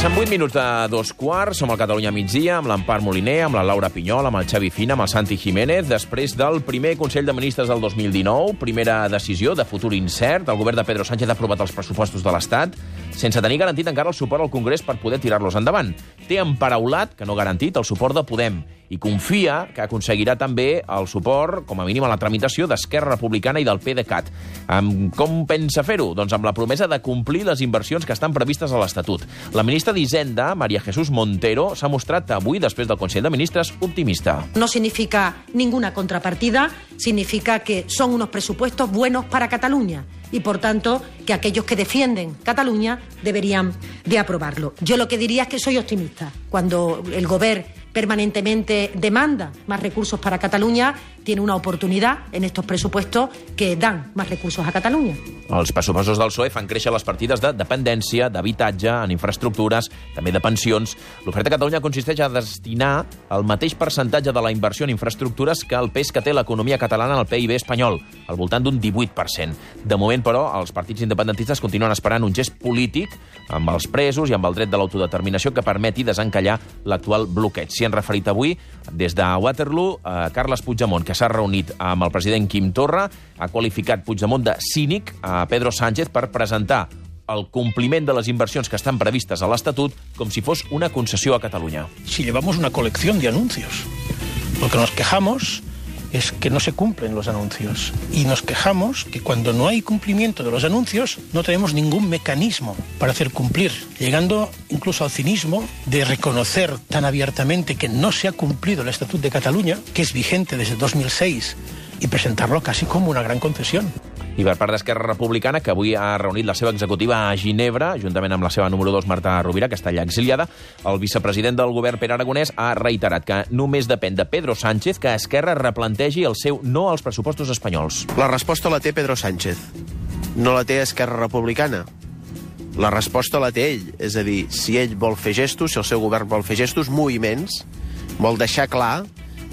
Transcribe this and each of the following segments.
Passen 8 minuts de 2:15, som al Catalunya migdia, amb l'Empar Moliner, amb la Laura Pinyol, amb el Xavi Fina, amb el Santi Jiménez, després del primer Consell de Ministres del 2019, primera decisió de futur incert. El govern de Pedro Sánchez ha aprovat els pressupostos de l'Estat sense tenir garantit encara el suport al Congrés per poder tirar-los endavant. Té emparaulat, que no garantit, el suport de Podem i confia que aconseguirà també el suport, com a mínim a la tramitació, d'Esquerra Republicana i del PDeCAT. Com pensa fer-ho? Doncs amb la promesa de complir les inversions que estan previstes a l'Estatut. La ministra d'Hisenda, María Jesús Montero, s'ha mostrat avui, després del Consell de Ministres, optimista. No significa ninguna contrapartida, significa que son unos presupuestos buenos para Cataluña y, por tanto, que aquellos que defienden Cataluña deberían de aprobarlo. Yo lo que diría es que soy optimista. Cuando el Gobierno permanentemente demanda más recursos para Catalunya, tiene una oportunidad en estos presupuestos que dan más recursos a Catalunya. Els pressupostos del PSOE fan créixer les partides de dependència, d'habitatge, en infraestructures, també de pensions. L'oferta a Catalunya consisteix a destinar el mateix percentatge de la inversió en infraestructures que el pes que té l'economia catalana al PIB espanyol, al voltant d'un 18%. De moment, però, els partits independentistes continuen esperant un gest polític amb els presos i amb el dret de l'autodeterminació que permeti desencallar l'actual bloqueig. S'hi han referit avui, des de Waterloo, Carles Puigdemont, que s'ha reunit amb el president Quim Torra, ha qualificat Puigdemont de cínic a Pedro Sánchez per presentar el compliment de les inversions que estan previstes a l'Estatut com si fos una concessió a Catalunya. Si llevamos una colección de anuncios, lo que nos quejamos es que no se cumplen los anuncios. Y nos quejamos que cuando no hay cumplimiento de los anuncios no tenemos ningún mecanismo para hacer cumplir, llegando incluso al cinismo de reconocer tan abiertamente que no se ha cumplido el Estatut de Cataluña, que es vigente desde 2006, y presentarlo casi como una gran concesión. I per part d'Esquerra Republicana, que avui ha reunit la seva executiva a Ginebra, juntament amb la seva número 2, Marta Rovira, que està allà exiliada, el vicepresident del govern, Pere Aragonès, ha reiterat que només depèn de Pedro Sánchez que Esquerra replantegi el seu no als pressupostos espanyols. La resposta la té Pedro Sánchez, no la té Esquerra Republicana. La resposta la té ell, és a dir, si ell vol fer gestos, si el seu govern vol fer gestos, moviments, vol deixar clar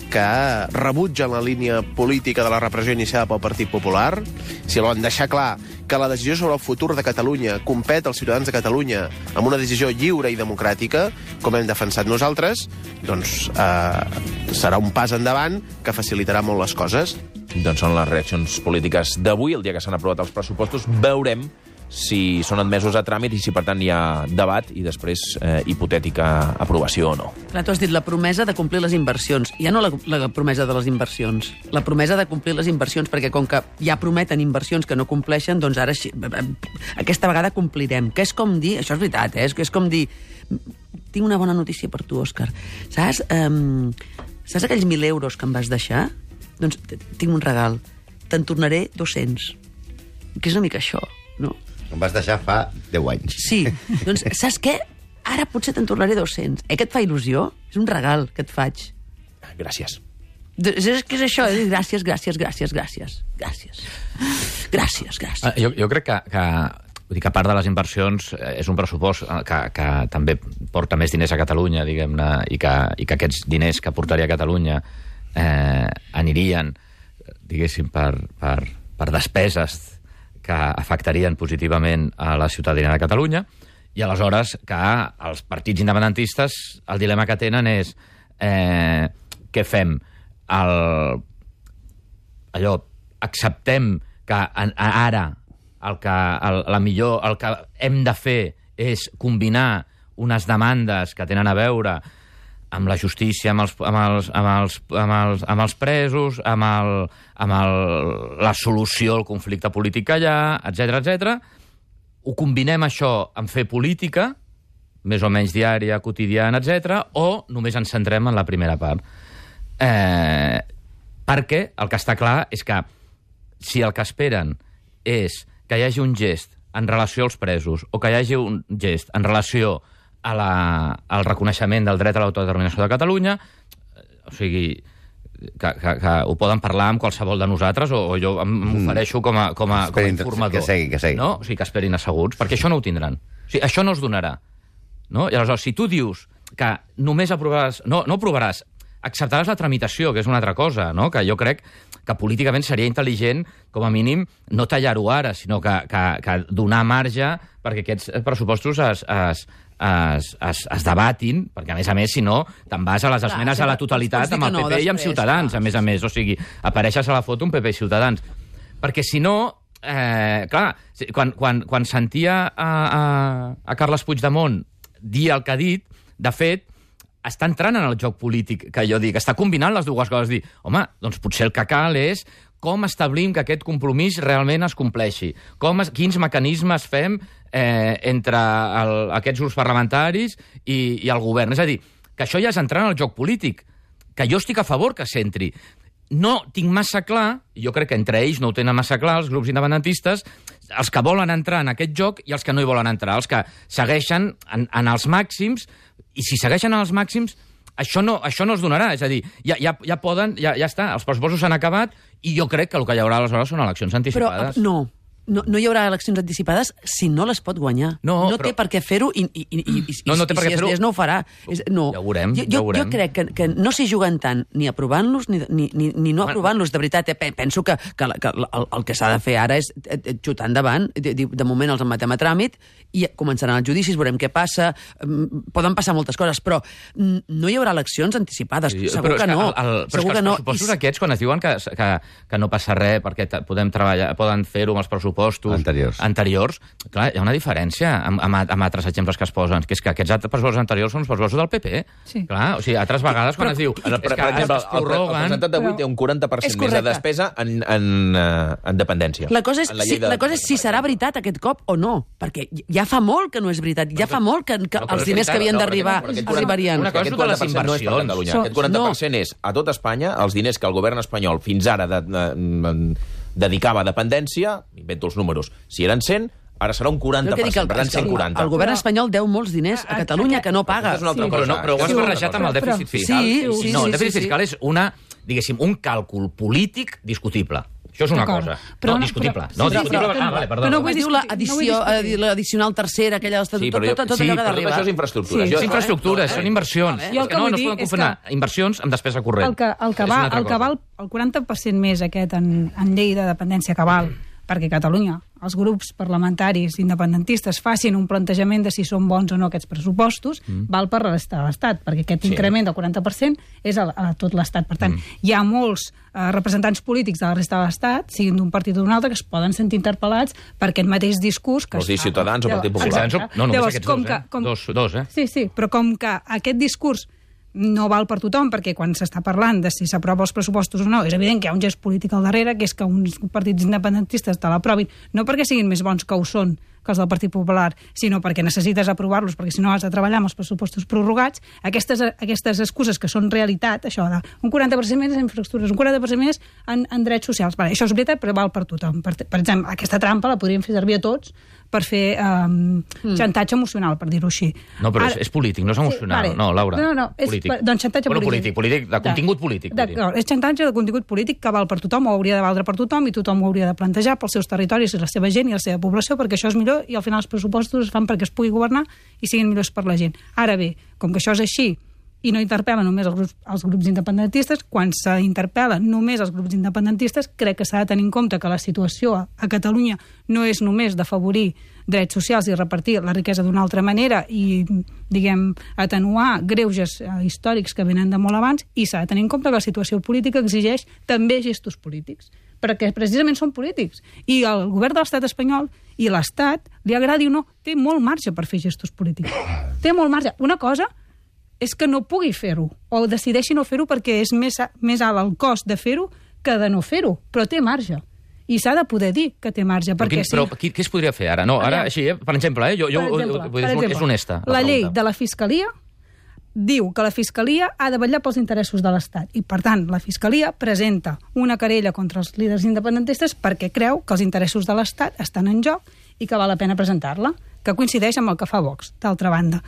que rebutgen la línia política de la repressió iniciada pel Partit Popular, si volen deixar clar que la decisió sobre el futur de Catalunya compet als ciutadans de Catalunya amb una decisió lliure i democràtica, com hem defensat nosaltres, doncs serà un pas endavant que facilitarà molt les coses. Doncs són les reaccions polítiques d'avui, el dia que s'han aprovat els pressupostos. Veurem si són admesos a tràmit i si, per tant, hi ha debat i després hipotètica aprovació o no. Clar, tu has dit la promesa de complir les inversions. Ja no la promesa de les inversions, la promesa de complir les inversions, perquè com que ja prometen inversions que no compleixen, doncs ara aquesta vegada complirem. Que és com dir, això és veritat, és com dir, tinc una bona notícia per tu, Òscar. Saps aquells 1.000 euros que em vas deixar? Doncs tinc un regal. Te'n tornaré 200. Que és una mica això, no? Em vas deixar fa 10 anys. Sí, doncs saps què? Ara potser te'n tornaré 200. Que et fa il·lusió? És un regal que et faig. Gràcies. És que és això, gràcies. Jo crec que a part de les inversions és un pressupost que també porta més diners a Catalunya, diguem-ne, i que aquests diners que portaria a Catalunya anirien, diguéssim, per despeses que afectarien positivament a la ciutadania de Catalunya, i aleshores que els partits independentistes el dilema que tenen és què fem? Acceptem que ara el que hem de fer és combinar unes demandes que tenen a veure amb la justícia, amb els presos, amb la solució al conflicte polític que hi ha, etc. Ho combinem això amb fer política, més o menys diària, quotidiana, etc., o només ens centrem en la primera part. Perquè el que està clar és que si el que esperen és que hi hagi un gest en relació als presos o que hi hagi un gest en relació al reconeixement del dret a l'autodeterminació de Catalunya, o sigui, que ho poden parlar amb qualsevol de nosaltres, o jo m'ofereixo com a informador. Que segui. No? O sigui, que esperin asseguts, perquè això no ho tindran. O sigui, això no es donarà. No? I aleshores, si tu dius que només aprovaràs... No aprovaràs, acceptaràs la tramitació, que és una altra cosa, no? Que jo crec que políticament seria intel·ligent, com a mínim, no tallar-ho ara, sinó que donar marge perquè aquests pressupostos es debatin, perquè, a més, si no, te'n vas a les esmenes a la totalitat amb el PP i amb Ciutadans, a més. O sigui, apareixes a la foto un PP i Ciutadans. Perquè, si no, clar, quan sentia a Carles Puigdemont dir el que ha dit, de fet, està entrant en el joc polític, que jo dic, està combinant les dues coses, dir, home, doncs potser el que cal és com establim que aquest compromís realment es compleixi, quins mecanismes fem entre aquests grups parlamentaris i el govern. És a dir, que això ja és entrar en el joc polític, que jo estic a favor que s'entri. No tinc massa clar, i jo crec que entre ells no ho tenen massa clar, els grups independentistes, els que volen entrar en aquest joc i els que no hi volen entrar, els que segueixen en els màxims, i si segueixen en els màxims, això no es donarà. És a dir, ja està, els pressupostos s'han acabat i jo crec que el que hi haurà aleshores són eleccions anticipades. Però no hi haurà eleccions anticipades si no les pot guanyar. No té per què fer-ho i si es no ho farà. No. Ja ho veurem. Jo crec que no s'hi juguen tant ni aprovant-los ni no aprovant-los. De veritat, penso que el que s'ha de fer ara és xutar endavant. De moment els emmetem a tràmit i començaran els judicis, veurem què passa. Poden passar moltes coses, però no hi haurà eleccions anticipades. Segur que no. Però és que els pressupostos aquests, quan es diuen que no passa res perquè podem treballar, poden fer-ho amb els pressupostos anteriors, clar, hi ha una diferència amb altres exemples que es posen, que és que aquests pressupostos anteriors són els pressupostos del PP. Sí. Clar, o sigui, altres vegades quan es diu... Per exemple, el presentat d'avui té un 40% més de despesa en dependència. La cosa és si serà veritat aquest cop o no, perquè ja fa molt que no és veritat, ja fa molt que els diners que havien d'arribar arribarien. Una cosa és de les inversions. Aquest 40% és a tot Espanya, els diners que el govern espanyol fins ara dedicava a dependència, invento els números, si eren 100, ara serà un 40%, per tant 140. El govern espanyol deu molts diners a Catalunya que no paga. Però ho has barrejat amb el dèficit fiscal. No, el dèficit fiscal és un càlcul polític discutible. Això és una cosa. Discutible. Però no diu l'addicional tercera, aquella tot allò que ha d'arribar. Sí, però tot això és infraestructures. És infraestructures, són inversions. No es poden confonar inversions amb despesa corrent. El que val el 40% més aquest en llei de dependència que val perquè Catalunya, els grups parlamentaris independentistes facin un plantejament de si són bons o no aquests pressupostos, val per la resta de l'Estat, perquè aquest increment del 40% és a tot l'Estat. Per tant, hi ha molts representants polítics de la resta de l'Estat, siguin d'un partit o d'un altre, que es poden sentir interpel·lats per aquest mateix discurs que es fa. Ciutadans o Partit Popular. No, només aquests dos. Sí, però com que aquest discurs no val per tothom, perquè quan s'està parlant de si s'aprova els pressupostos o no, és evident que hi ha un gest polític al darrere, que és que uns partits independentistes te l'aprovin, no perquè siguin més bons que ho són que els del Partit Popular, sinó perquè necessites aprovar-los, perquè si no has de treballar amb els pressupostos prorrogats. Aquestes excuses que són realitat, això de un 40% més en infraestructures, un 40% més en drets socials. Vale, això és veritat, però val per tothom. Per exemple, aquesta trampa la podríem fer servir a tots per fer xantatge emocional, per dir-ho així. No, però és polític, no és emocional. No, Laura. No, és doncs xantatge polític. Polític, de contingut polític. D'acord, és xantatge de contingut polític que val per tothom, o hauria de valdre per tothom, i tothom ho hauria de plantejar pels seus territoris i la seva gent i la seva població, perquè això és millor, i al final els pressupostos es fan perquè es pugui governar i siguin millors per la gent. Ara bé, com que això és així, i no interpel·la només els grups independentistes, quan s'interpel·la només els grups independentistes, crec que s'ha de tenir en compte que la situació a Catalunya no és només d'afavorir drets socials i repartir la riquesa d'una altra manera i, diguem, atenuar greuges històrics que venen de molt abans, i s'ha de tenir en compte que la situació política exigeix també gestos polítics, perquè precisament són polítics. I el govern de l'estat espanyol i l'Estat, li agradi o no, té molt marge per fer gestos polítics. Té molt marge. Una cosa és que no pugui fer-ho, o decideixi no fer-ho perquè és més alt el cost de fer-ho que de no fer-ho, però té marge. I s'ha de poder dir que té marge. Però què es podria fer ara? No, ara, així, per exemple, és honesta. La llei de la Fiscalia diu que la Fiscalia ha de vetllar pels interessos de l'Estat, i, per tant, la Fiscalia presenta una querella contra els líders independentistes perquè creu que els interessos de l'Estat estan en joc i que val la pena presentar-la, que coincideix amb el que fa Vox, d'altra banda.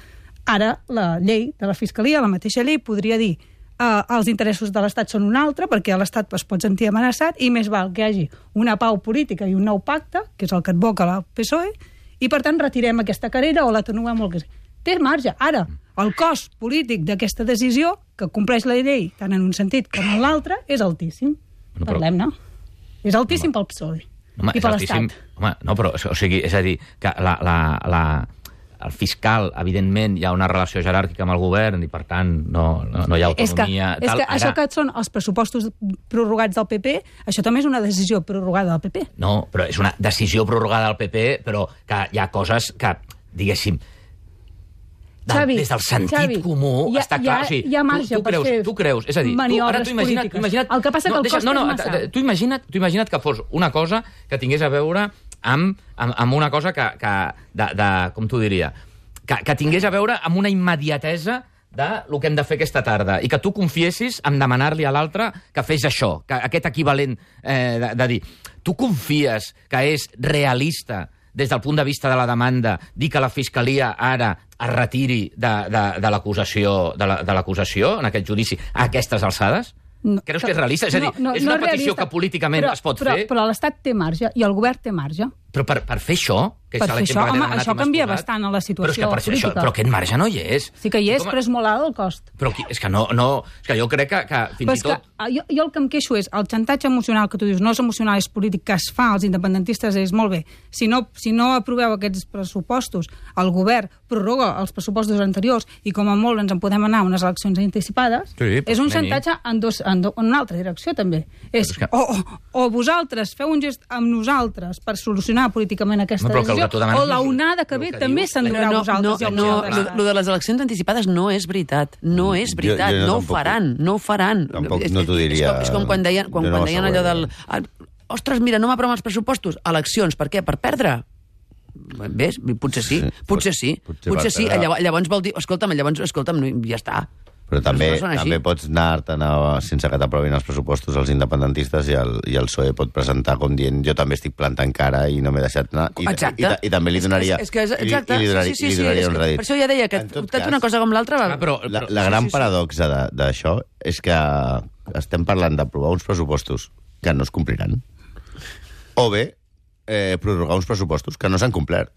Ara, la llei de la Fiscalia, la mateixa llei, podria dir els interessos de l'Estat són un altre, perquè l'Estat es pot sentir amenaçat, i més val que hi hagi una pau política i un nou pacte, que és el que advoca la PSOE, i, per tant, retirem aquesta querella o l'atenuem molt que sigui. Té marge. Ara, el cost polític d'aquesta decisió, que compleix la llei tant en un sentit com en l'altre, és altíssim. Parlem-ne. És altíssim pel PSOE i per l'Estat. Home, no, però, o sigui, és a dir, que el fiscal, evidentment, hi ha una relació jeràrquica amb el govern i, per tant, no hi ha autonomia. És que això que són els pressupostos prorrogats del PP, això també és una decisió prorrogada del PP. No, però és una decisió prorrogada del PP, però que hi ha coses que, diguéssim, Xavi, des del sentit comú està clar. Hi ha marge per fer tu creus, és a dir, maniobres polítiques. El que passa que el cost és massa. Tu imagina't que fos una cosa que tingués a veure amb una cosa com t'ho diria, que tingués a veure amb una immediatesa del que hem de fer aquesta tarda, i que tu confiessis en demanar-li a l'altre que fes això, que aquest equivalent de dir, tu confies que és realista des del punt de vista de la demanda, dir que la Fiscalia ara es retiri de l'acusació en aquest judici a aquestes alçades? Creus que és realista? És a dir, és una petició que políticament es pot fer? Però l'Estat té marge i el govern té marge. Però per fer això, que és l'exemple que t'he demanat, això canvia bastant a la situació política. Però aquest marge no hi és. Sí que hi és, però és molt alt el cost. Però és que jo crec que fins i tot... Jo el que em queixo és el xantatge emocional que tu dius, no és emocional, és polític, que es fa als independentistes, és molt bé. Si no aproveu aquests pressupostos, el govern prorroga els pressupostos anteriors i com a molt ens en podem anar a unes eleccions anticipades, és un xantatge en una altra direcció, també. O vosaltres feu un gest amb nosaltres per solucionar políticament aquesta decisió, o la onada que ve també s'endurà a vosaltres. Lo de les eleccions anticipades no és veritat. No és veritat. No ho faran. No ho faran. Tampoc no t'ho diria. És com quan deien allò del... Ostres, mira, no m'aproven els pressupostos. Eleccions, per què? Per perdre? Ves? Potser sí. Potser sí. Llavors vol dir... Escolta'm, ja està. Però també pots anar-te'n sense que t'aprovin els pressupostos els independentistes i el PSOE pot presentar com dient jo també estic plantant cara i no m'he deixat anar. I també li donaria un rèdit. Per això ja deia que tant una cosa com l'altra... La gran paradoxa d'això és que estem parlant d'aprovar uns pressupostos que no es compliran o bé prorrogar uns pressupostos que no s'han complert.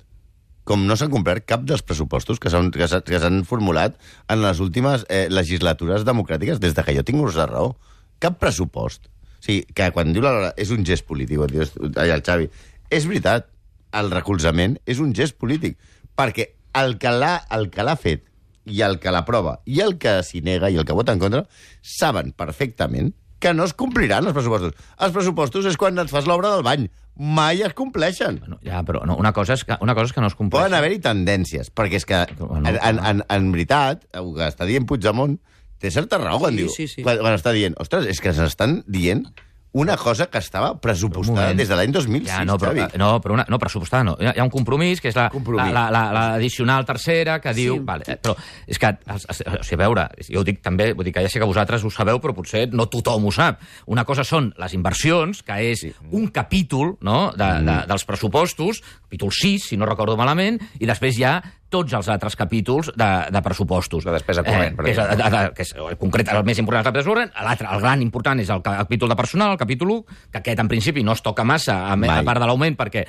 Com no s'han complert cap dels pressupostos que s'han formulat en les últimes legislatures democràtiques des que jo tinc ús de raó. Cap pressupost. O sigui, que quan diu la Lola és un gest polític, el Xavi, és veritat, el recolzament és un gest polític, perquè el que l'ha fet i el que l'aprova i el que s'hi nega i el que vota en contra saben perfectament que no es compliran els pressupostos. Els pressupostos és quan et fas l'obra del bany. Mai es compleixen. Ja, però una cosa és que no es compleixen. Poden haver-hi tendències, perquè és que, en veritat, el que està dient Puigdemont té certa raó quan diu... Quan està dient, ostres, és que s'estan dient una cosa que estava pressupostada des de l'any 2006, Xavi. No, pressupostada no. Hi ha un compromís, que és l'addicional tercera, que diu... Però és que, a veure, jo ho dic també, vull dir que ja sé que vosaltres ho sabeu, però potser no tothom ho sap. Una cosa són les inversions, que és un capítol dels pressupostos, capítol 6, si no recordo malament, i després hi ha tots els altres capítols de pressupostos. La despesa corrent, per exemple. Que és concret, el més important és la despesa corrent, l'altre, el gran important, és el capítol de personal, el capítol 1, que aquest, en principi, no es toca massa, a part de l'augment, perquè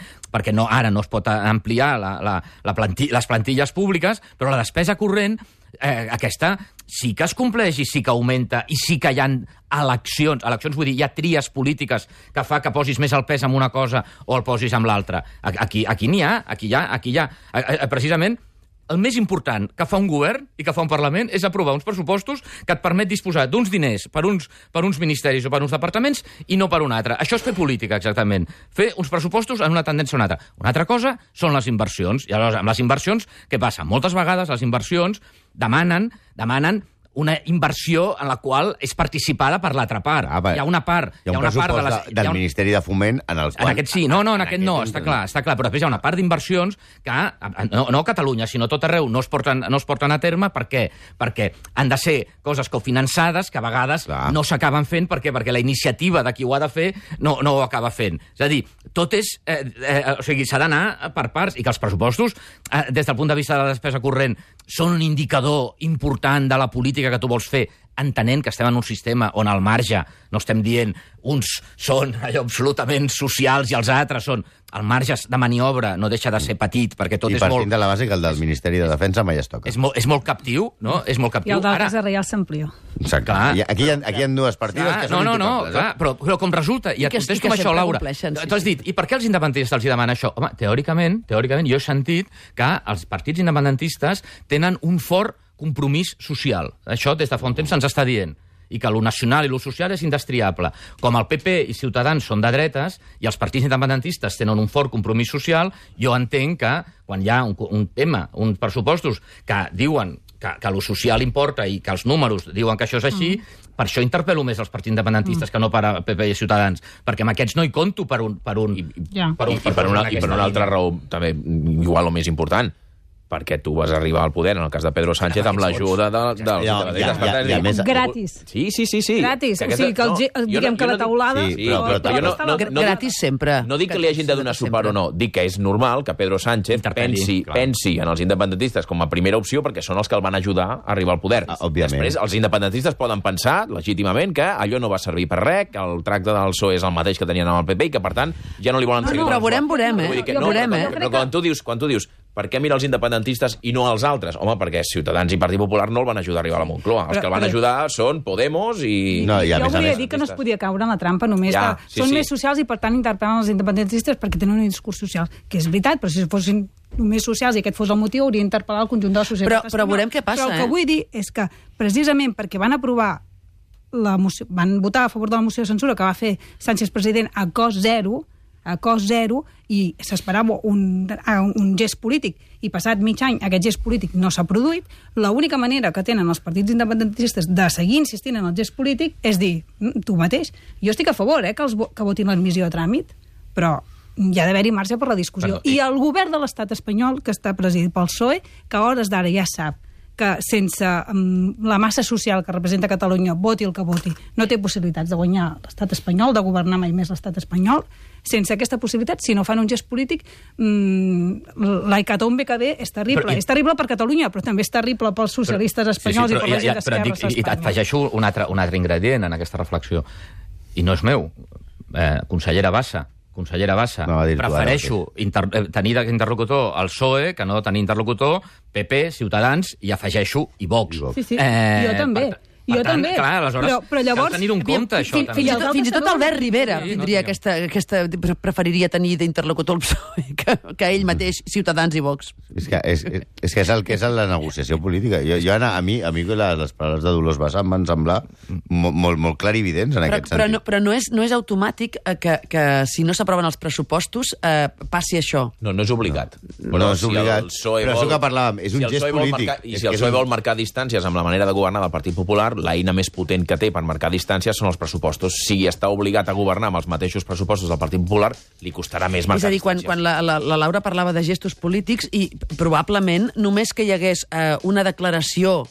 ara no es pot ampliar les plantilles públiques, però la despesa corrent, aquesta sí que es compleix i sí que augmenta i sí que hi ha eleccions, vull dir, hi ha tries polítiques que fa que posis més el pes en una cosa o el posis en l'altra. Aquí n'hi ha. Precisament, el més important que fa un govern i que fa un Parlament és aprovar uns pressupostos que et permet disposar d'uns diners per uns ministeris o per uns departaments i no per un altre. Això és fer política, exactament. Fer uns pressupostos en una tendència o una altra. Una altra cosa són les inversions. I aleshores, amb les inversions, què passa? Moltes vegades les inversions demanen una inversió en la qual és participada per l'altra part. Hi ha una part... Hi ha un pressupost del Ministeri de Foment en els quals... En aquest sí, en aquest no, està clar, però després hi ha una part d'inversions que, no a Catalunya, sinó a tot arreu, no es porten a terme. Per què? Perquè han de ser coses cofinançades que a vegades no s'acaben fent perquè la iniciativa de qui ho ha de fer no ho acaba fent. És a dir, tot és... s'ha d'anar per parts, i que els pressupostos, des del punt de vista de la despesa corrent, són un indicador important de la política política que tu vols fer, entenent que estem en un sistema on al marge no estem dient uns són allò absolutament socials i els altres són... El marge de maniobra no deixa de ser petit, perquè tot I és molt... I partint de la base que el del Ministeri de Defensa mai es toca. És molt captiu, no? És molt captiu. I el d'altres de Reial s'amplió. Exacte. Aquí hi ha dues partides que són intocables. Clar, però com resulta, i et contesto amb això, Laura, tu has dit, i per què els independentistes els hi demanen això? Home, teòricament, jo he sentit que els partits independentistes tenen un fort compromís social. Això des de fa un temps se'ns està dient. I que lo nacional i lo social és indestriable. Com el PP i Ciutadans són de dretes i els partits independentistes tenen un fort compromís social, jo entenc que quan hi ha un tema, uns pressupostos que diuen que lo social importa i que els números diuen que això és així, per això interpel·lo més els partits independentistes que no per a PP i Ciutadans, perquè amb aquests no hi conto per una altra raó, també igual o més important, perquè tu vas arribar al poder, en el cas de Pedro Sánchez, amb l'ajuda dels independentistes. Gratis. Sí. Gratis. O sigui, diguem que la taulada... Gratis sempre. No dic que li hagin de donar suport o no, dic que és normal que Pedro Sánchez pensi en els independentistes com a primera opció perquè són els que el van ajudar a arribar al poder. Després, els independentistes poden pensar, legítimament, que allò no va servir per res, que el tracte del PSOE és el mateix que tenien amb el PP i que, per tant, ja no li volen seguir. Però veurem, Però quan tu dius, per què mira els independentistes i no els altres? Home, perquè Ciutadans i Partit Popular no el van ajudar a arribar a la Moncloa. Els que el van ajudar són Podemos i... Jo volia dir que no es podia caure en la trampa només que són més socials i per tant interpel·len els independentistes perquè tenen un discurs social, que és veritat, però si fossin només socials i aquest fos el motiu hauria d'interpel·lar el conjunt de la societat. Però veurem què passa, Però el que vull dir és que precisament perquè van aprovar van votar a favor de la moció de censura que va fer Sánchez president a cost zero i s'esperava un gest polític i passat mig any aquest gest polític no s'ha produït, l'única manera que tenen els partits independentistes de seguir insistint en el gest polític és dir, tu mateix, jo estic a favor que votin l'admissió a tràmit, però hi ha d'haver-hi marge per la discussió. I el govern de l'estat espanyol, que està presidit pel PSOE, que a hores d'ara ja sap que sense la massa social que representa Catalunya, voti el que voti, no té possibilitats de guanyar l'estat espanyol, de governar mai més l'estat espanyol. Sense aquesta possibilitat, si no fan un gest polític, la hecatombe que ve és terrible. És terrible per Catalunya, però també és terrible pels socialistes espanyols i per la gent d'esquerres a Espanya. I et afegeixo un altre ingredient en aquesta reflexió, i no és meu, consellera Bassa, prefereixo tenir d'interlocutor el PSOE que no tenir interlocutor PP, Ciutadans i afegeixo i Vox. Sí. Jo també. Per tant, clar, aleshores, però llavors, cal tenir un compte, això. Fins i tot Albert Rivera preferiria tenir d'interlocutor el PSOE que ell mateix, Ciutadans i Vox. És que és el que és la negociació política. A mi les paraules de Dolors Bassa em van semblar molt clarividents en aquest sentit. Però no és automàtic que si no s'aproven els pressupostos passi això. No és obligat. No és obligat, però això que parlàvem, és un gest polític. I si el PSOE vol marcar distàncies amb la manera de governar del Partit Popular, l'eina més potent que té per marcar distàncies són els pressupostos. Si està obligat a governar amb els mateixos pressupostos del Partit Popular, li costarà més marcar distàncies. És a dir, quan la Laura parlava de gestos polítics i probablement només que hi hagués una declaració,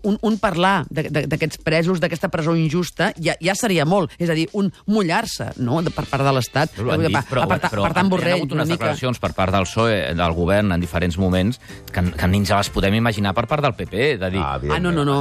un parlar d'aquests presos, d'aquesta presó injusta, ja seria molt. És a dir, un mullar-se, no?, per part de l'Estat. Per tant, Borrell, hi ha hagut unes declaracions per part del PSOE, del govern, en diferents moments, que ni ens les podem imaginar per part del PP. De dir, no.